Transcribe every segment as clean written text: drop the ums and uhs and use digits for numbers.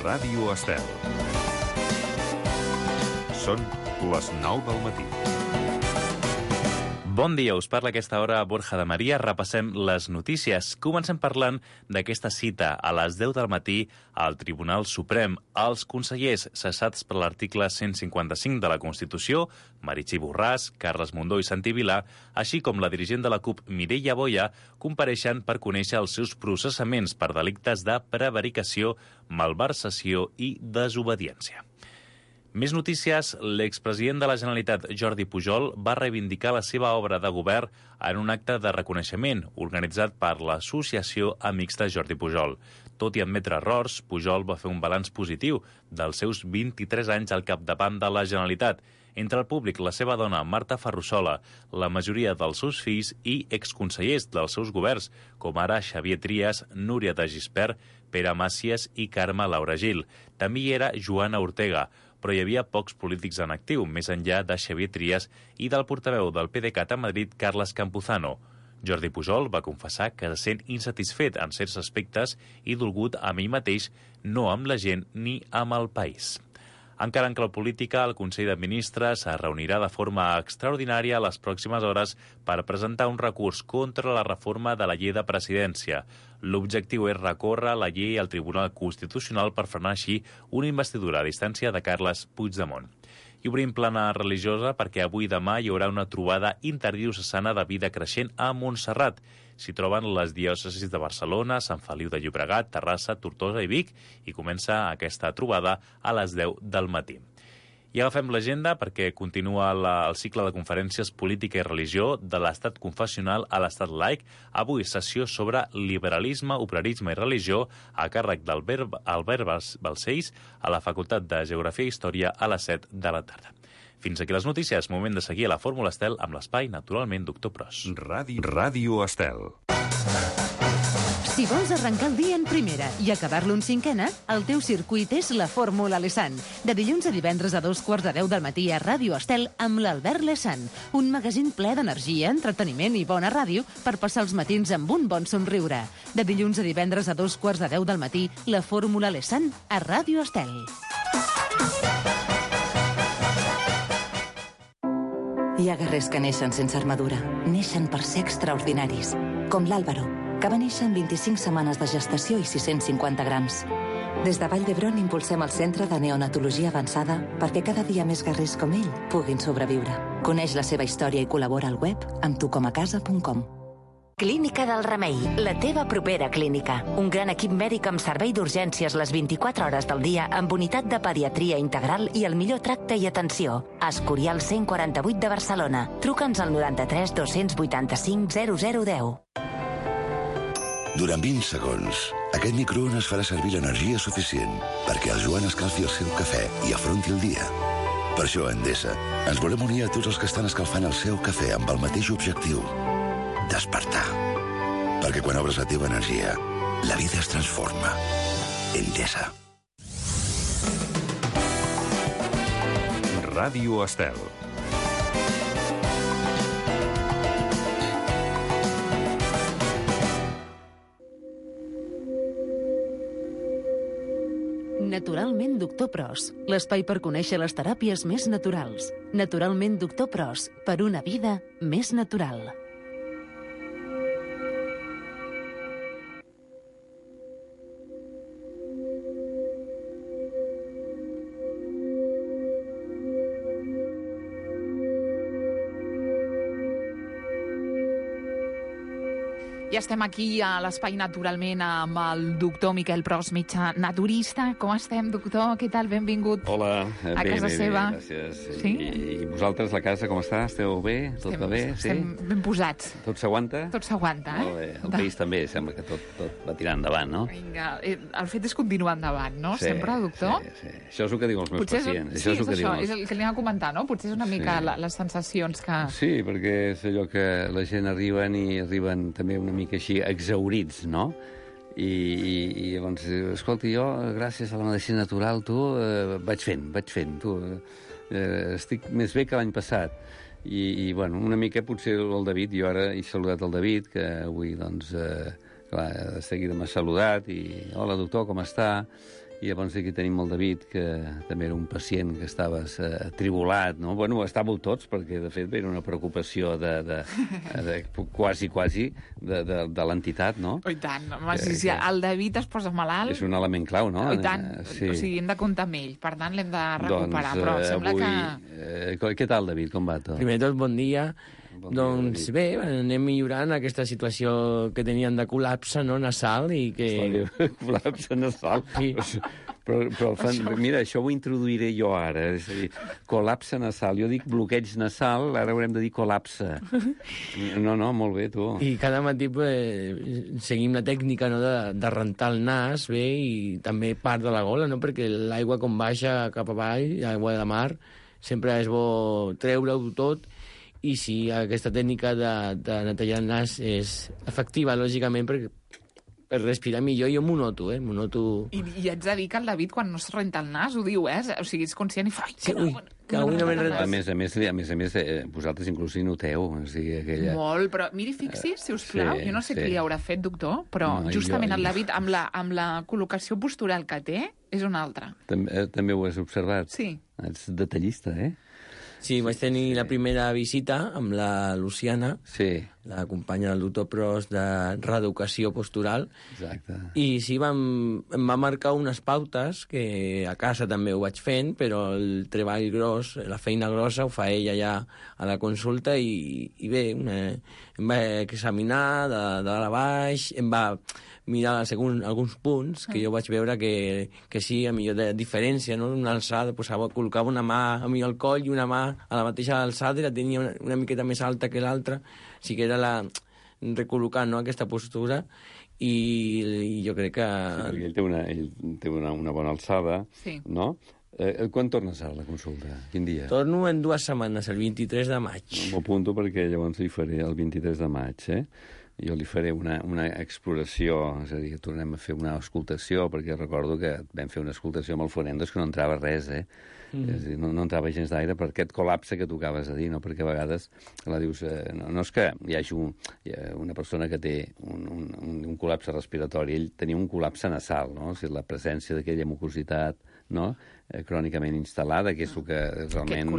Ràdio Estel. Són les 9 del matí. Bon dia, us parla a aquesta hora Borja de Maria. Repassem les notícies. Comencem parlant d'aquesta cita a les 10 del matí al Tribunal Suprem. Els consellers cessats per l'article 155 de la Constitució, Meritxell Borràs, Carles Mundó i Santi Vilà, així com la dirigent de la CUP, Mireia Boya, compareixen per conèixer els seus processaments per delictes de prevaricació, malversació i desobediència. Més notícies. L'expresident de la Generalitat, Jordi Pujol, va reivindicar la seva obra de govern en un acte de reconeixement organitzat per l'Associació Amics de Jordi Pujol. Tot i admetre errors, Pujol va fer un balanç positiu dels seus 23 anys al capdavant de la Generalitat. Entre el públic, la seva dona, Marta Ferrusola, la majoria dels seus fills i exconsellers dels seus governs, com ara Xavier Trias, Núria de Gispert, Pere Màcies i Carme Laura Gil. També hi era Joana Ortega, però hi havia pocs polítics en actiu, més enllà de Xavier Trias i del portaveu del PDeCAT a Madrid, Carles Campuzano. Jordi Pujol va confessar que se sent insatisfet en certs aspectes i dolgut amb ell mateix, no amb la gent ni amb el país. Encara en clau política, el Consell de Ministres es reunirà de forma extraordinària a les pròximes hores per presentar un recurs contra la reforma de la llei de presidència. L'objectiu és recórrer la llei al Tribunal Constitucional per frenar així una investidura a distància de Carles Puigdemont. I obrim plana religiosa perquè avui i demà hi haurà una trobada interdiocesana de vida creixent a Montserrat. S'hi troben les diòcesis de Barcelona, Sant Feliu de Llobregat, Terrassa, Tortosa i Vic, i comença aquesta trobada a les 10 del matí. I agafem l'agenda perquè continua el cicle de conferències Política i Religió de l'estat confessional a l'estat laic. Avui sessió sobre liberalisme, obrerisme i religió a càrrec d'Albert Balcells a la Facultat de Geografia i Història a les 7 de la tarda. Fins aquí les notícies. Moment de seguir a la Fórmula Estel amb l'espai, naturalment, Doctor Pros. Ràdio Estel. Si vols arrencar el dia en primera i acabar-lo en cinquena, el teu circuit és la Fórmula Lesan. De dilluns a divendres a 2:15 del matí a Ràdio Estel amb l'Albert Lesan. Un magazín ple d'energia, entreteniment i bona ràdio per passar els matins amb un bon somriure. De dilluns a divendres a 2:15 del matí, la Fórmula Lesan a Ràdio Estel. Hi ha guerrers que neixen sense armadura. Neixen per ser extraordinaris, com l'Àlvaro, que va néixer en 25 setmanes de gestació i 650 grams. Des de Vall d'Hebron impulsem el Centre de Neonatologia Avançada perquè cada dia més guerrers com ell puguin sobreviure. Coneix la seva història i col·labora al web amb tucomacasa.com. Clínica del Remei, la teva propera clínica. Un gran equip mèdic amb servei d'urgències les 24 hores del dia amb unitat de pediatria integral i el millor tracte i atenció. Escorial 148 de Barcelona. Truca'ns al 93 285 0010. Durant 20 segons, aquest microones farà servir l'energia suficient perquè el Joan escalfi el seu cafè i afronti el dia. Per això, a Endesa, ens volem unir a tots els que estan escalfant el seu cafè amb el mateix objectiu: despertar. Perquè quan obres la teva energia, la vida es transforma. Endesa. Ràdio Estel. Naturalment Doctor Pros, l'espai per conèixer les teràpies més naturals. Naturalment Doctor Pros, per una vida més natural. Ja estem aquí a l'Espai Naturalment amb el doctor Miquel Pros, metge naturista. Com estem, doctor? Què tal? Benvingut. Hola, a casa seva. Gràcies. Sí? I vosaltres, la casa, com està? Esteu bé? Tot va bé? Estem ben posats. Tot s'aguanta? Tot s'aguanta, Molt bé. El país també sembla que tot va tirant endavant, no? Vinga, el fet és continuar endavant, no? Sí, sempre, doctor? Sí. Això és el que diuen els meus pacients. Sí, és això, és el que li anava a comentar, no? Potser és una mica les sensacions que... Sí, perquè és allò que la gent arriben també una mica així exhaurits, no? I llavors, escolta, jo, gràcies a la medicina natural, vaig fent, estic més bé que l'any passat. I bueno, una mica potser el David, jo ara he saludat el David, que avui, doncs, clar, de seguida m'ha saludat, i hola, doctor, com està? I llavors aquí tenim el David, que també era un pacient que estava atribulat, no? Bueno, estàveu tots, perquè, de fet, era una preocupació quasi de l'entitat, no? Oh, i tant. Home, si el David es posa malalt... És un element clau, no? Oh, i tant. Sí. O sigui, hem de comptar amb ell. Per tant, l'hem de recuperar. Doncs, però sembla avui... Què tal, David? Com va tot? Primer de tot, bon dia. Doncs bé, anem millorant aquesta situació que teníem de col·lapse, no, nasal i que... Col·lapse nasal? Sí. Però mira, això ho introduiré jo ara. És a dir, col·lapse nasal. Jo dic bloqueig nasal, ara haurem de dir col·lapse. No, molt bé, tu. I cada matí seguim la tècnica, no, de rentar el nas, bé, i també part de la gola, no?, perquè l'aigua com baixa cap avall, l'aigua de mar, sempre és bo treure-ho tot. I sí, aquesta tècnica de netejar el nas és efectiva, lògicament, per respirar millor. Jo m'ho noto, m'ho noto... I haig de dir que el David, quan no es renta el nas, ho diu, O sigui, és conscient i fa... Sí, que avui no m'he rentat. A més, vosaltres inclús hi noteu. O sigui, aquella... Molt, però miri, fixi's, si us plau, jo no sé què li haurà fet, doctor, però justament el David, amb la col·locació postural que té, és una altra. També ho has observat? Sí. Ets detallista, Sí, vaig tenir la primera visita amb la Luciana, la companya del doctor Pros de reeducació postural. Exacte. I sí, em va marcar unes pautes, que a casa també ho vaig fent, però el treball gros, la feina grossa, ho fa ella ja a la consulta i bé, em va examinar de dalt a baix, em va mirar alguns punts que jo vaig veure que sí, a millor de diferència, no? Una alçada, col·locava una mà a mi al coll i una mà a la mateixa alçada i la tenia una miqueta més alta que l'altra. O sigui que era recol·locant, no?, aquesta postura i jo crec que... Sí, perquè ell té una bona alçada, no? Quan tornes a la consulta? Quin dia? Torno en 2 setmanes, el 23 de maig. M'ho apunto perquè llavors li faré el 23 de maig, Jo li faré una exploració, és a dir, que tornem a fer una auscultació, perquè recordo que vam fer una auscultació amb el Forendos que no entrava res, És a dir, no entrava gens d'aire per aquest col·lapse que tu acabes de dir, no? Perquè a vegades la dius... No és que hi hagi una persona que té un col·lapse respiratori, ell tenia un col·lapse nasal, no? O sigui, la presència d'aquella mucositat, no?, crònicament instal·lada, que és el que realment...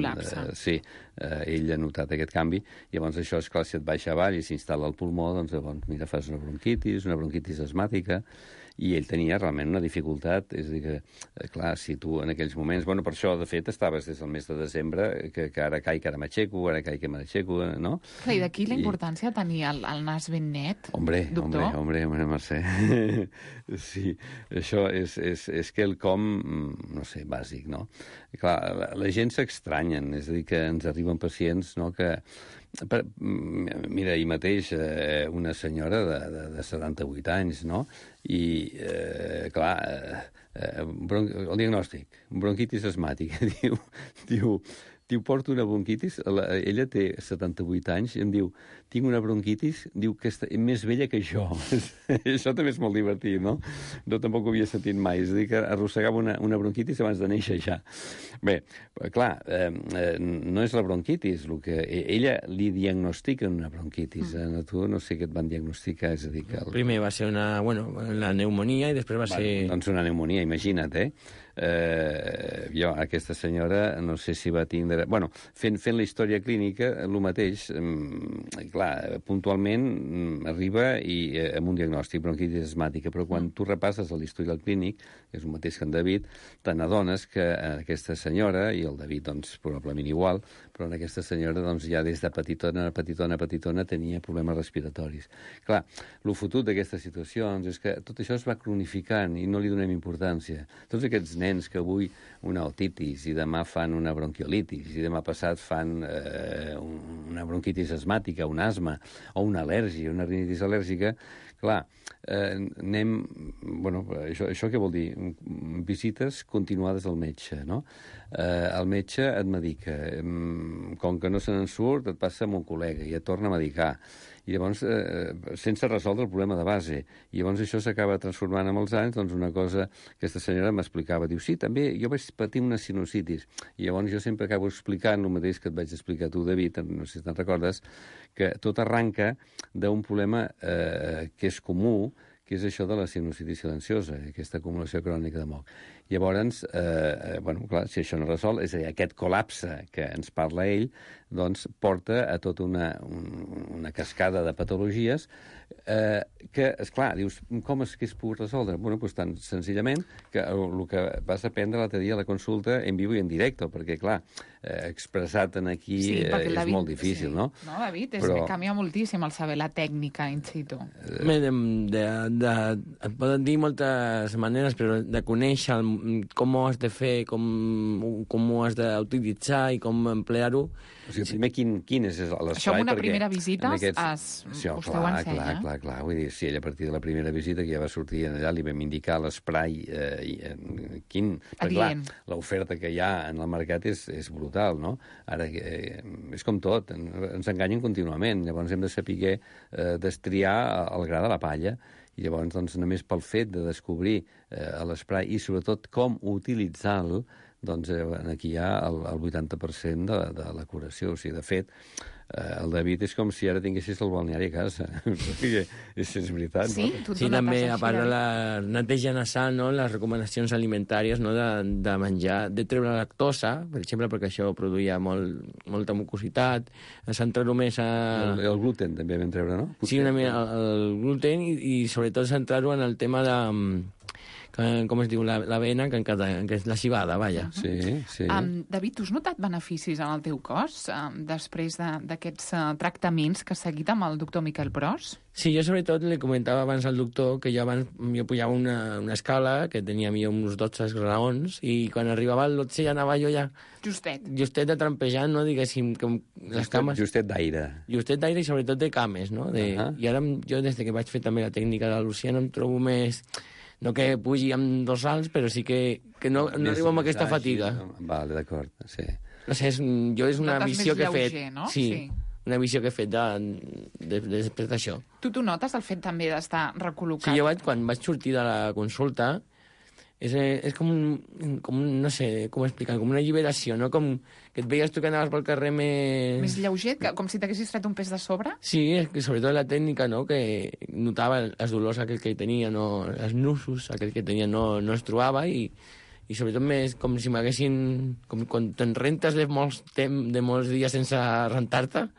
Ell ha notat aquest canvi. Llavors això, és clar, si et baixa avall i s'instal·la al pulmó, doncs llavors, mira, fas una bronquitis asmàtica, i ell tenia realment una dificultat, és a dir que, clar, si tu en aquells moments... Bueno, per això, de fet, estaves des del mes de desembre, que ara caic, ara m'aixeco, ara caic, que m'aixeco, no? Clar, i d'aquí la importància de tenir el nas ben net, doctor? Hombre, Mercè. Sí, això és quelcom, no sé, bàsic, no? Clar, la gent s'extranyen, és a dir, que ens arriben pacients, no?, que... Mira, ahir mateix una senyora de 78 anys, no?, i, clar, el diagnòstic, bronquitis asmàtica, diu, porto una bronquitis, ella té 78 anys, i em diu, tinc una bronquitis, diu que és més vella que jo. Això també és molt divertit, no? Jo tampoc ho havia sentit mai, és a dir, que arrossegava una bronquitis abans de néixer ja. Bé, clar, no és la bronquitis, el que ella li diagnostica una bronquitis. A tu no sé què et van diagnosticar, és a dir que... Primer va ser la pneumonia i després va ser... Doncs una pneumonia, imagina't, jo, aquesta senyora, no sé si va tindre... Bueno, fent la història clínica, el mateix, clar, puntualment arriba amb un diagnòstic bronquitis asmàtica, però quan tu repasses l'historial clínic, que és el mateix que en David, te n'adones que aquesta senyora, i el David, doncs, probablement igual, però en aquesta senyora, doncs, ja des de petitona, tenia problemes respiratoris. Clar, el fotut d'aquestes situacions és que tot això es va cronificant i no li donem importància. Tots aquests nens que avui una otitis i demà fan una bronquiolitis i demà passat fan una bronquitis asmàtica, un asma o una al·lèrgia, una rinitis al·lèrgica, clar, Bueno, això què vol dir? Visites continuades al metge, no? El metge et medica. Com que no se n'en surt, et passa amb un col·lega i et torna a medicar. I llavors, sense resoldre el problema de base. I llavors això s'acaba transformant amb els anys, doncs una cosa que aquesta senyora m'explicava. Diu, sí, també jo vaig patir una sinusitis. I llavors jo sempre acabo explicant el mateix que et vaig explicar tu, David, no sé si te'n recordes, que tot arranca d'un problema que és comú, que és això de la sinusitis silenciosa, aquesta acumulació crònica de moc. Llavors, clar, si això no resol, és a dir, aquest col·lapse que ens parla ell, doncs porta a tota una cascada de patologies que, esclar, dius, com és que es pot resoldre? Bueno, doncs tan senzillament que el que vas aprendre l'altre dia a la consulta en vivo i en directe, perquè, clar, expressat en aquí és molt difícil, no? No, David, canvia moltíssim el saber la tècnica in situ. Et poden dir moltes maneres, però de conèixer com ho has de fer, com ho has d'utilitzar i com emplear-ho. O sigui, primer, quin és l'espai? Això en una primera visita vostè ho ensenya. Clar. Vull dir, si ell a partir de la primera visita que ja va sortir allà li vam indicar l'esprai quin... Perquè, clar, l'oferta que hi ha en el mercat és brutal, no? Ara, és com tot, ens enganyen contínuament. Llavors hem de saber destriar el gra de la palla. I llavors, doncs, només pel fet de descobrir l'esprai i, sobretot, com utilitzar-lo, doncs aquí hi ha el 80% de la curació. O sigui, de fet, el David és com si ara tinguessis el balneari a casa. És veritat, sí, no? Sí, també, a part de la neteja nasal, no? Les recomanacions alimentàries, no? de menjar, de treure la lactosa, per exemple, perquè això produïa molta mucositat, centrar-ho més a... El gluten també vam treure, no? Sí, una mica el gluten i sobretot centrar-ho en el tema de... com es diu, l'avena, que és la civada, vaja. Sí. David, tu has notat beneficis en el teu cos després d'aquests tractaments que has seguit amb el doctor Miquel Pros? Sí, jo sobretot li comentava abans al doctor que jo pujava una escala que tenia uns 12 graons i quan arribava al 12 ja anava jo ja... Justet de trampejant, no? Diguéssim, com les cames... Justet d'aire. Justet d'aire i sobretot de cames, no? I ara jo, des que vaig fer també la tècnica de la Luciana, em trobo més... No que pugi amb dorsals, però sí que no arribo amb aquesta fatiga. Vale, d'acord, sí. No sé, és una visió que he fet. No? Sí, una visió que he fet després d'això. Tu notes el fet també d'estar recol·locat? Sí, jo quan vaig sortir de la consulta és com no sé com explicar, com una alliberació, no? Com que et veies tu que anaves pel carrer més lleuger, com si t'haguessis tret un pes de sobre? Sí, sobretot la tècnica, no? Que notava els dolors aquell que tenia, no, els nusos aquell que tenia no es trobava i sobretot més com si m'haguessin... Com quan te'n rentes de molts dies sense rentar-te,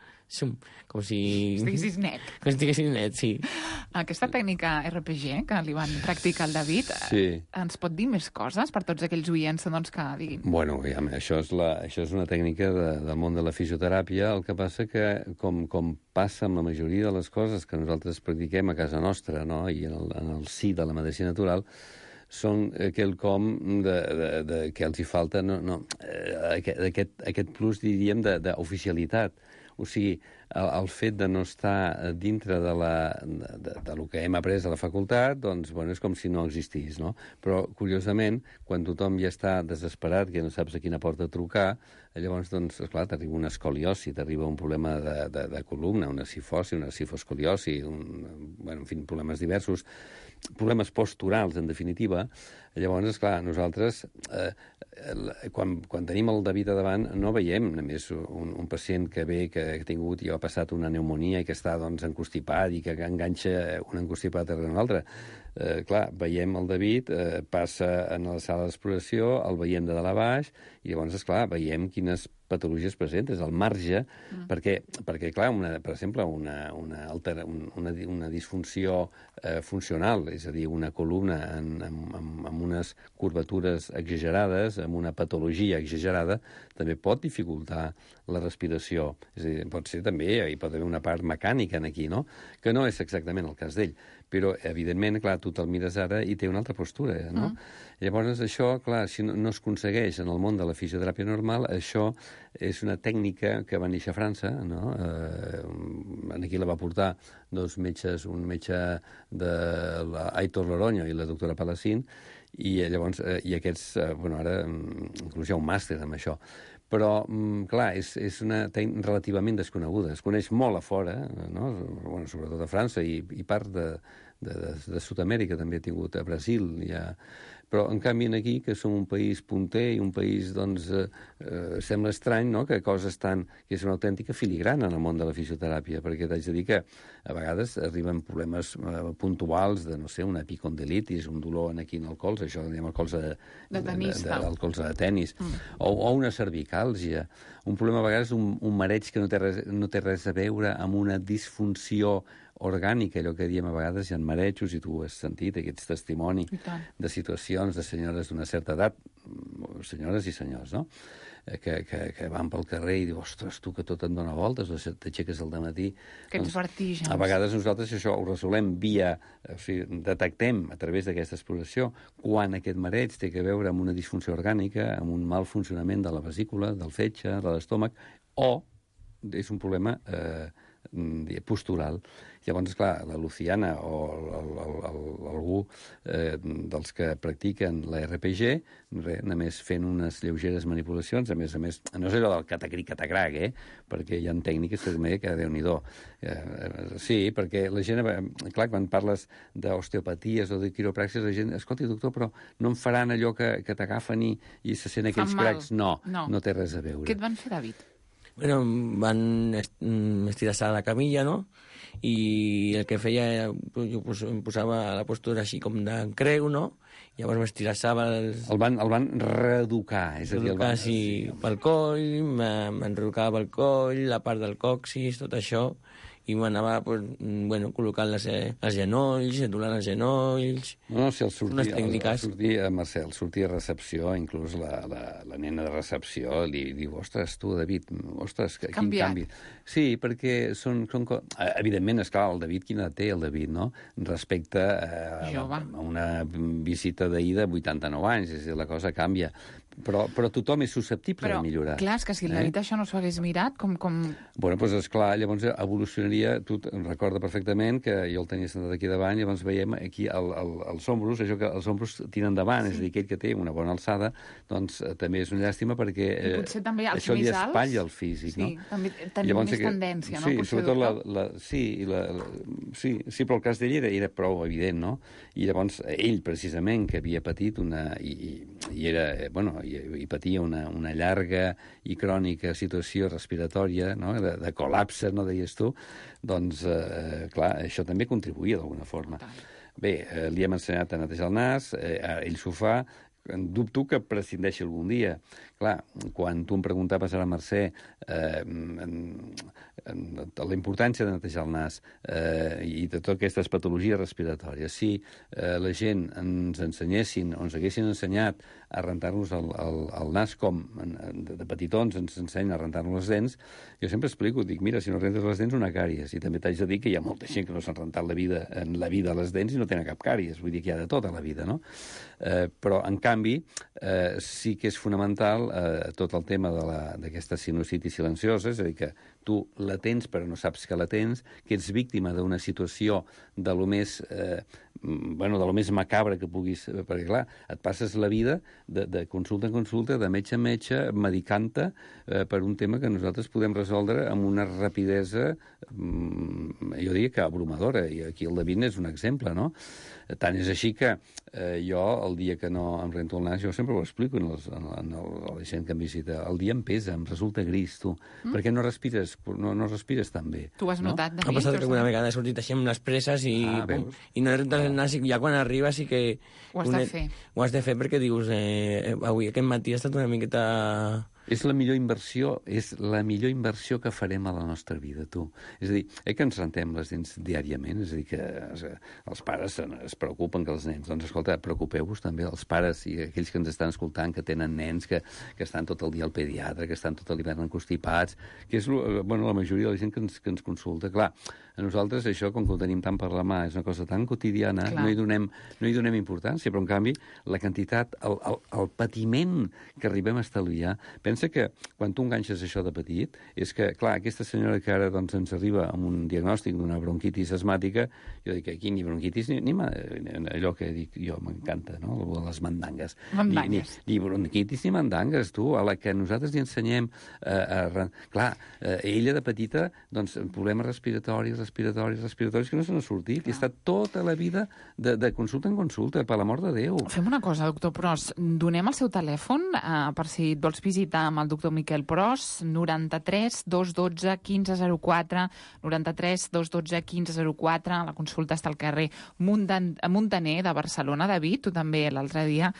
com si... Estiguessis net. Com si estiguessis net, sí. Aquesta tècnica RPG que li van practicar al David, ens pot dir més coses per tots aquells oients doncs, que diguin? Bueno, això és una tècnica del món de la fisioteràpia, el que passa que, com passa amb la majoria de les coses que nosaltres practiquem a casa nostra, no? I en el si de la medicina natural, són quelcom que els hi falta aquest plus, diríem, d'oficialitat. O sigui, el fet de no estar dintre de lo que hem après a la facultat, doncs, bueno, és com si no existís, no? Però, curiosament, quan tothom ja està desesperat, que no saps a quina porta trucar, llavors, doncs, esclar, t'arriba una escoliosi, t'arriba un problema de columna, una cifosi, una cifoscoliosi, en fi, problemes diversos, problemes posturals, en definitiva. Llavors, esclar, nosaltres, quan tenim el David a davant, no veiem només un pacient que ve, que ha tingut i ha passat una pneumonia i que està, doncs, encostipat i que enganxa un encostipat darrere un altre. Clar, veiem el David, passa en la sala d'exploració, el veiem de dalt a baix, i llavors, esclar, veiem quines patologies presentes, al marge, perquè clar, per exemple, una disfunció funcional, és a dir, una columna amb unes curvatures exagerades, amb una patologia exagerada, també pot dificultar la respiració. És a dir, pot ser també, hi pot haver una part mecànica aquí, no? Que no és exactament el cas d'ell. Però, evidentment, clar, tu te'l mires ara i té una altra postura, no? Llavors, això, clar, si no es aconsegueix en el món de la fisioteràpia normal, això és una tècnica que va néixer a França, no? Aquí la va portar dos metges, un metge de Aitor Loroño i la doctora Palacín, i llavors, i aquests, bueno, ara inclús hi ha un màster amb això. Però, clar, és una tècnica relativament desconeguda. Es coneix molt a fora, no? Bueno, sobretot a França i part de Sud-amèrica, també ha tingut a Brasil, però en canvi aquí, que som un país punter i un país, doncs, sembla estrany, no?, que coses tan... que és una autèntica filigrana en el món de la fisioteràpia, perquè t'haig de dir que a vegades arriben problemes puntuals de, no sé, una epicondilitis, un dolor aquí en el colze, això que diem el colze el colze de tenis, o una cervicàlgia, un problema a vegades, un mareig que no té res a veure amb una disfunció orgànica, allò que diem a vegades, hi ha marejos, i tu has sentit, ets testimoni de situacions de senyores d'una certa edat, senyores i senyors, no?, que van pel carrer i diu, ostres, tu que tot et dona voltes, t'aixeques al dematí... Aquests vertigens. A vegades nosaltres això ho resolem via... O sigui, detectem a través d'aquesta exploració quan aquest mareig té a veure amb una disfunció orgànica, amb un mal funcionament de la vesícula, del fetge, de l'estómac, o és un problema postural. Llavors, clar, la Luciana o algú dels que practiquen la RPG, només fent unes lleugeres manipulacions, a més, no és allò del catacric-catagrac, perquè hi ha tècniques que Déu-n'hi-do. Sí, perquè la gent, clar, quan parles d'osteopaties o de quiropràctiques, la gent, escolta, doctor, però no em faran allò que t'agafen i se sent aquells cracs? No té res a veure. Què et van fer, David? Bueno, van estirar-se a la camilla, no?, i el que feia, jo em posava la postura així com de creu, no?, llavors m'estirassava... El van reeducar, és a dir... Reeducar, sí, pel coll, m'enrocava pel coll, la part del còccix, tot això, i m'anava, bueno, col·locant els genolls, doblant els genolls... No, si unes tècniques... Marcel, sortia a recepció, inclús la nena de recepció li diu, ostres, tu, David, ostres, quin canvi. Sí, perquè són... Evidentment, esclar, el David, quina té el David, no?, respecte a una visita d'ahir de 89 anys, és a dir, la cosa canvia. Però tothom és susceptible de millorar. Clar, és que si el David això no s'ho hagués mirat, com... Bueno, doncs esclar, llavors evolucionaria, tu em recorda perfectament que jo el tenia sentat aquí davant, llavors veiem aquí els ombros, això que els ombros tiren endavant, és a dir, aquell que té una bona alçada, doncs també és una llàstima perquè això li espatlla el físic, no? Sí, també tenim més tendència, no? Sí, sobretot sí, però el cas d'ell era prou evident, no? I llavors ell, precisament, que havia patit i patia una llarga i crònica situació respiratòria, no?, de col·lapse, no deies tu, doncs, clar, això també contribuïa d'alguna forma. Bé, li hem ensenyat a netejar el nas, ell s'ho fa, dubto que prescindeixi algun dia. Clar, quan tu em preguntaves a la Mercè la importància de netejar el nas i de totes aquestes patologies respiratòries, si la gent ens ensenyessin o ens haguessin ensenyat a rentar-nos el nas com de petitons ens ensenyen a rentar-nos les dents, jo sempre explico, dic, mira, si no rentes les dents, una càries. I també t'haig de dir que hi ha molta gent que no s'han rentat en la vida les dents i no tenen cap càries. Vull dir que hi ha de tot a la vida, no? Però, en canvi, sí que és fonamental tot el tema d'aquesta sinusitis silenciosa, és a dir, que tu la tens però no saps que la tens, que ets víctima d'una situació de lo més macabre que puguis... Perquè, clar, et passes la vida de consulta en consulta, de metge en metge, medicant-te per un tema que nosaltres podem resoldre amb una rapidesa, jo diria que abrumadora, i aquí el David és un exemple, no? Tant és així que jo, el dia que no em rento el nas, jo sempre ho explico a la gent que em visita, el dia em pesa, em resulta gris, tu, perquè no respires tan bé. Tu ho has notat, David? Ha passat que alguna vegada he sortit així amb les presses i no he rentat el nas, i ja quan arriba sí que... Ho has de fer. Ho has de fer perquè dius, avui aquest matí ha estat una miqueta... És la millor inversió que farem a la nostra vida, tu. És a dir, que ens rentem les dents diàriament, és a dir, que els pares es preocupen que els nens... Doncs, escolta, preocupeu-vos també, els pares i aquells que ens estan escoltant, que tenen nens, que estan tot el dia al pediatre, que estan tot l'hivern encostipats, que és la majoria de la gent que ens consulta. Clar, a nosaltres això, com que ho tenim tant per la mà, és una cosa tan quotidiana, no hi donem importància, però en canvi la quantitat, el patiment que arribem a estalviar, pensa pensa que quan tu enganxes això de petit, és que, clar, aquesta senyora que ara doncs, ens arriba amb un diagnòstic d'una bronquitis asmàtica, jo dic, aquí ni bronquitis ni allò que dic jo m'encanta, no? Les mandangues. Ni bronquitis ni mandangues, tu, a la que nosaltres li ensenyem clar, ella de petita, doncs, problemes respiratoris que no se n'ha sortit, i està tota la vida de consulta en consulta, per l'amor de Déu. Fem una cosa, doctor Pros, donem el seu telèfon per si et vols visitar amb el doctor Miquel Pros, 93 212 1504, 93 212 1504, la consulta està al carrer Muntaner de Barcelona. David, tu també l'altre dia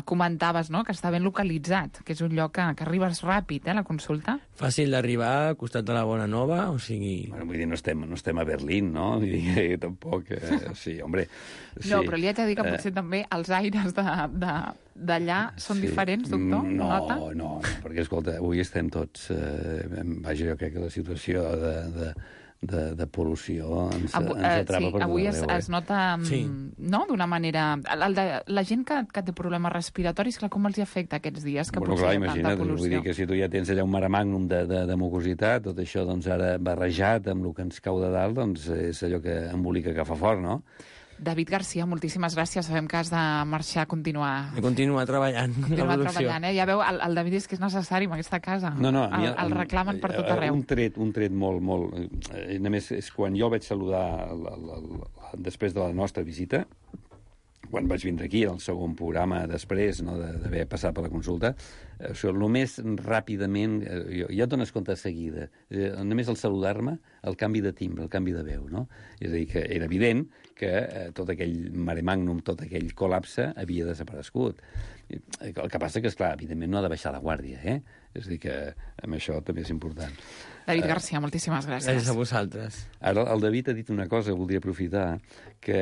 comentaves, no?, que està ben localitzat, que és un lloc que arribes ràpid, la consulta. Fàcil d'arribar, al costat de la Bona Nova, o sigui... Bueno, vull dir, no estem a Berlín, no? Vull dir, tampoc... sí, hombre... Sí. No, però li haig de dir que potser també els aires d'allà són diferents, doctor? No, perquè, escolta, avui estem tots... vaja, jo crec que la situació de pol·lució ens atrapa per tot avui arreu. Es nota, no?, d'una manera... La gent que té problemes respiratoris, clar, com els hi afecta aquests dies que potser hi ha tanta pol·lució? Vull dir que si tu ja tens allà un mare magnum de mucositat, tot això doncs ara barrejat amb el que ens cau de dalt, doncs és allò que embolica que fa fort, no? David Garcia, moltíssimes gràcies. Sabem que has de marxar a continuar... Continuar treballant. Continuar treballant, Ja veu, el David és que és necessari en aquesta casa. No, el reclamen per tot arreu. Un tret molt... Només és quan jo el vaig saludar després de la nostra visita, quan vaig vindre aquí, el segon programa després, no, d'haver passat per la consulta, només ràpidament, ja et dones compte de seguida, només al saludar-me, el canvi de timbre, el canvi de veu, no? És a dir, que era evident que tot aquell mare magnum, tot aquell col·lapse havia desaparegut. El que passa que, esclar, evidentment no ha de baixar la guàrdia, És a dir, que amb això també és important. David Garcia, moltíssimes gràcies. Gràcies a vosaltres. Ara, el David ha dit una cosa que voldria aprofitar, que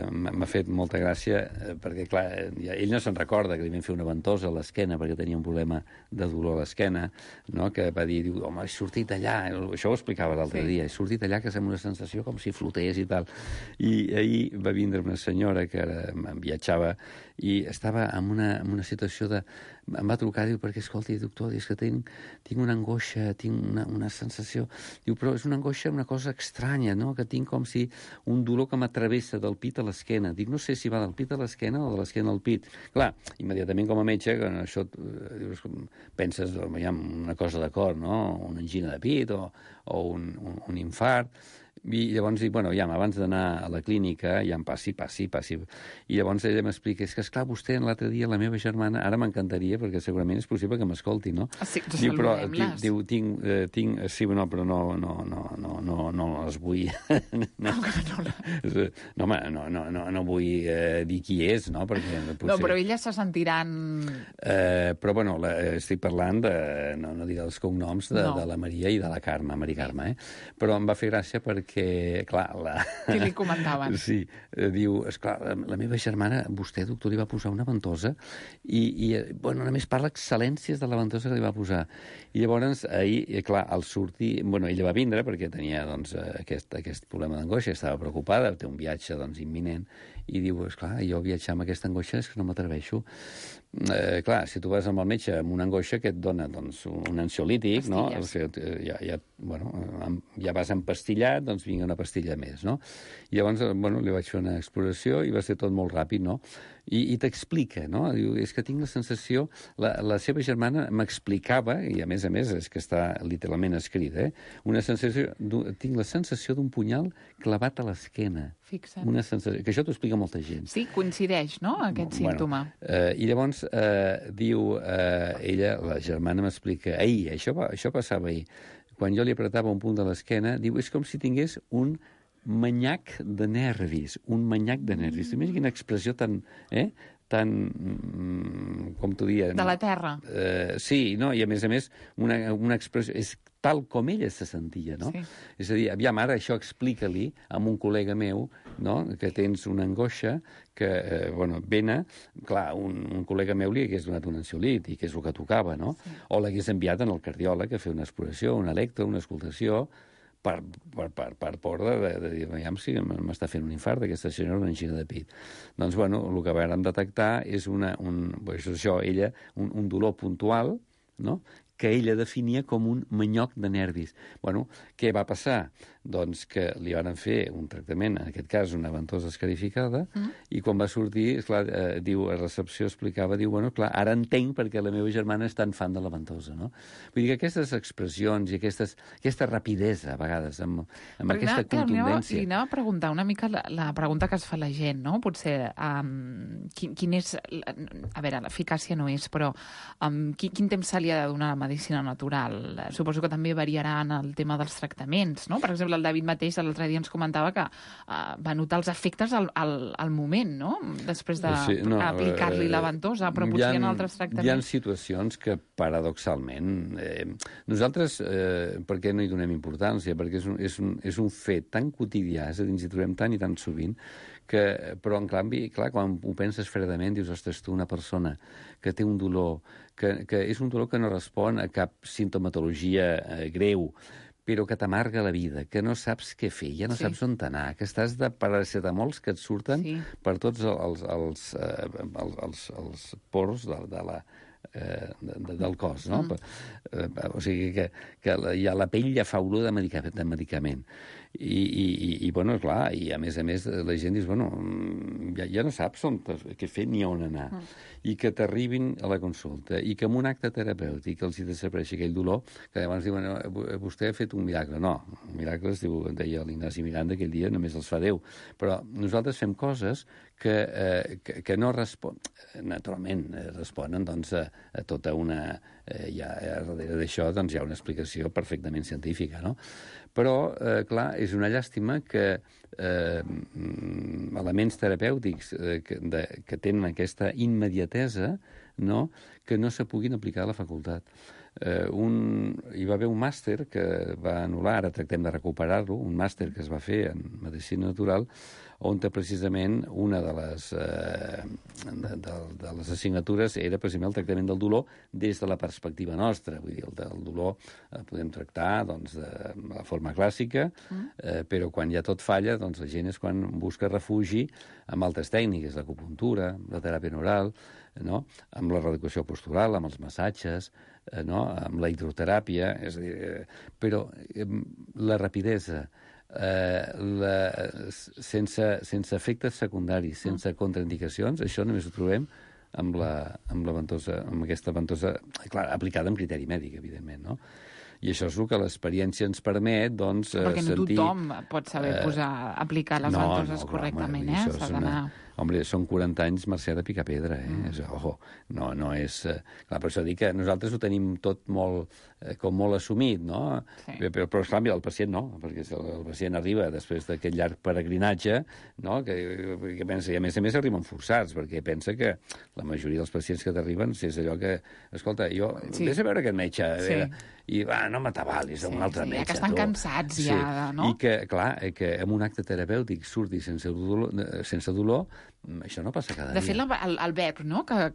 m'ha fet molta gràcia, perquè, clar, ell no se'n recorda que li vam fer una ventosa a l'esquena perquè tenia un problema de dolor a l'esquena, no?, que va dir, home, he sortit allà, això ho explicava l'altre dia, he sortit allà que sembla una sensació com si flotés i tal. I ahir va vindre una senyora que em viatjava i estava en una situació de... Em va trucar, diu, perquè, escolti, doctor, és que tinc una angoixa, tinc una sensació... Diu, però és una angoixa, una cosa estranya, no?, que tinc com si un dolor que m'atravessa del pit a l'esquena. Dic, no sé si va del pit a l'esquena o de l'esquena al pit. Clar, immediatament com a metge, que això penses, hi ha una cosa de cor, no?, una angina de pit o un infart. I llavors dic, bueno, ja, abans d'anar a la clínica, ja em passi. I llavors ella m'explica, és que, esclar, vostè l'altre dia, la meva germana, ara m'encantaria, perquè segurament és possible que m'escolti, no? Sí, diu, però, diu, tinc... Sí, no, però no les vull... No vull dir qui és, no? Perquè potser... No, però elles se sentiran... Però, bueno, estic parlant de... No diré els cognoms de la Maria i de la Carme, Maria Carme, Però em va fer gràcia perquè, clar... Què li comentaven? Sí, diu, esclar, la meva germana, vostè, doctor, li va posar una ventosa i bueno, només parla excel·lències de la ventosa que li va posar. I llavors, ahir, clar, al sortir... Bueno, ella va vindre perquè tenia, doncs, aquest problema d'angoixa, estava preocupada, té un viatge, doncs, imminent, i diu, esclar, jo viatjar amb aquesta angoixa és que no m'atreveixo. Clar, si tu vas amb el metge amb una angoixa que et dona, doncs, un ansiolític, no? Ja vas empastillat, doncs vinga una pastilla més, no? I llavors, bueno, li vaig fer una exploració i va ser tot molt ràpid, no? I t'explica, no? Diu, és que tinc la sensació... La seva germana m'explicava, i a més, és que està literalment escrit, una sensació... Tinc la sensació d'un punyal clavat a l'esquena. Fixa't. Una sensació... Que això t'ho explica molta gent. Sí, coincideix, no?, aquest símptoma. I llavors diu, ella, la germana m'explica, ahir, això passava ahir, quan jo li apretava un punt de l'esquena, diu, és com si tingués un manyac de nervis, T'imagines quina expressió tan, com t'ho dia... De la terra. Sí, no? I a més, una expressió... És tal com ella se sentia, no? Sí. És a dir, aviam, ara això explica-li a un col·lega meu, no?, que tens una angoixa que, vena, clar, un col·lega meu li hagués donat un ansiolític, que és el que tocava, no? Sí. O l'hagués enviat al cardiòleg a fer una exploració, una electro, una escoltació, per por de dir, aviam si m'està fent un infart d'aquesta senyora, una angina de pit. Doncs, bueno, el que vam detectar és un dolor puntual no?, que ella definia com un manyoc de nervis. Bueno, què va passar? Doncs que li van fer un tractament, en aquest cas una ventosa escarificada, i quan va sortir, esclar, diu, a recepció explicava, diu, bueno, clar, ara entenc perquè la meva germana és tan fan de la ventosa, no? Vull dir que aquestes expressions i aquesta rapidesa, a vegades, amb aquesta contundència... Li anava a preguntar una mica la pregunta que es fa la gent, no? Potser, quin és... A veure, l'eficàcia no és, però quin temps se li ha de donar a la medicina natural? Suposo que també variarà en el tema dels tractaments, no? Per exemple, el David mateix l'altre dia ens comentava que va notar els efectes al moment, no? Després d'aplicar-li la ventosa, però potser hi ha altres tractaments. Hi ha situacions que, paradoxalment, nosaltres, per què no hi donem importància? Perquè és un fet tan quotidià, és a dir, ens hi trobem tant i tan sovint, però, en canvi, clar, quan ho penses fredament, dius, ostres, tu, una persona que té un dolor, que és un dolor que no respon a cap simptomatologia greu, però que t'amarga la vida, que no saps què fer, ja no saps on anar, que estàs de paracetamols que et surten per tots els pors del cos, no? O sigui que la pell ja fa olor de medicament. I bueno, clar, i a més la gent dius, bueno, ja no saps què fer ni on anar. I que t'arribin a la consulta, i que amb un acte terapèutic els hi desapareixi aquell dolor, que llavors diuen, vostè ha fet un miracle. No, miracles, deia l'Ignasi Miranda aquell dia, només els fa Déu. Però nosaltres fem coses que no responen, naturalment, responen doncs, a tota una... darrere d'això doncs, hi ha una explicació perfectament científica, no? Però, clar, és una llàstima que elements terapèutics que tenen aquesta immediatesa, no?, que no se puguin aplicar a la facultat. Hi va haver un màster que va anul·lar, ara tractem de recuperar-lo, un màster que es va fer en Medicina Natural, on precisament una de les assignatures era precisament el tractament del dolor des de la perspectiva nostra. Vull dir, el dolor el podem tractar doncs, de la forma clàssica, però quan ja tot falla, doncs la gent és quan busca refugi amb altres tècniques, l'acupuntura, la teràpia neural, no?, amb la reeducació postural, amb els massatges, no?, amb la hidroteràpia, és a dir, però la rapidesa, sense efectes secundaris, sense contraindicacions, això només ho trobem amb aquesta ventosa, clar, aplicada amb criteri mèdic, evidentment, no? I això és el que l'experiència ens permet, doncs, perquè no tothom pot saber aplicar les ventoses correctament, s'ha d'anar... Home, són 40 anys Mercè de picar pedra, Ojo, no és... Clar, per això dic que nosaltres ho tenim tot molt assumit, no? Sí. Però esclar, el pacient no, perquè el pacient arriba després d'aquest llarg peregrinatge, no?, que pensa, i a més arriben forçats, perquè pensa que la majoria dels pacients que t'arriben és allò que, escolta, vés a veure aquest metge, i no m'atabalis d'un altre metge. Que estan cansats ja, no? I que, clar, que amb un acte terapèutic surti sense dolor, això no passa cada dia. De fet, el verb, no?, que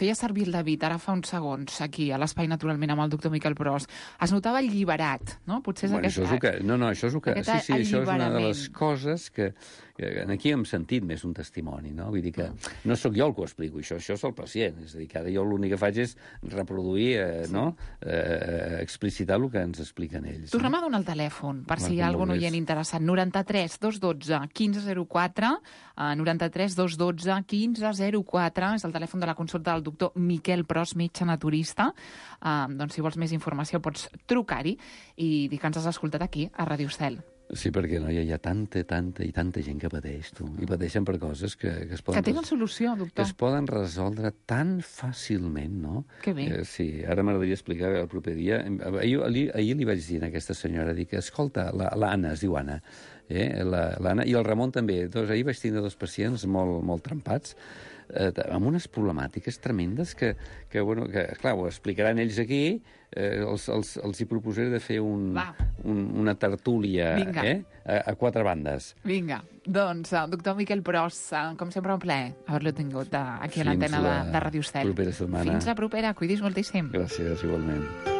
feia servir el David ara fa uns segons aquí a l'Espai Naturalment amb el doctor Miquel Pros, es notava alliberat, no? Potser és això és el que... No, això és el que... Sí, això és una de les coses que aquí hem sentit més un testimoni, no? Vull dir que no sóc jo el que ho explico, això és el pacient. És a dir, que ara jo l'únic que faig és reproduir, no?, explicitar el que ens expliquen ells. Tornem a donar el telèfon, per si hi ha algun oient interessat. 93 212 1504, 93 212 1504, és el telèfon de la consulta del doctor Miquel Pros, metge naturista. Doncs si vols més informació pots trucar-hi i dir que ens has escoltat aquí, a Ràdio Estel. Sí, perquè no, hi ha tanta gent que pateix, tu. I pateixen per coses que es poden... Que tenen solució, doctor. Que es poden resoldre tan fàcilment, no? Que bé. Sí, ara m'agradaria explicar el proper dia. Ahir li vaig dir a aquesta senyora, dic, escolta, l'Anna, es diu Anna, l'Anna, i el Ramon també. Doncs ahir vaig tindre 2 pacients molt trempats, amb unes problemàtiques tremendes que clar, ho explicaran ells aquí, els hi proposaré de fer una tertúlia a 4 bandes. Vinga, doncs, doctor Miquel Pros, com sempre un plaer haver-lo tingut aquí a l'antena de Ràdio Estel. Fins la propera setmana. Fins la propera, cuidis moltíssim. Gràcies, igualment.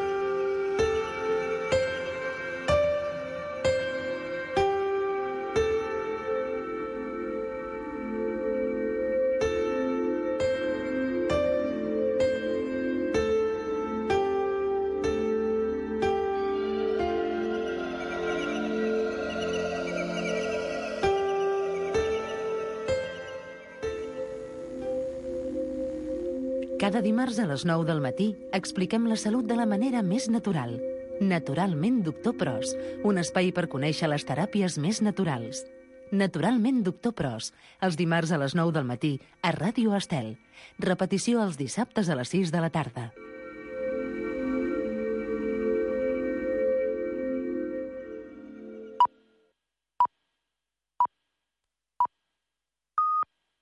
Cada dimarts a les 9 del matí expliquem la salut de la manera més natural. Naturalment Doctor Pros, un espai per conèixer les teràpies més naturals. Naturalment Doctor Pros, els dimarts a les 9 del matí a Ràdio Estel. Repetició els dissabtes a les 6 de la tarda.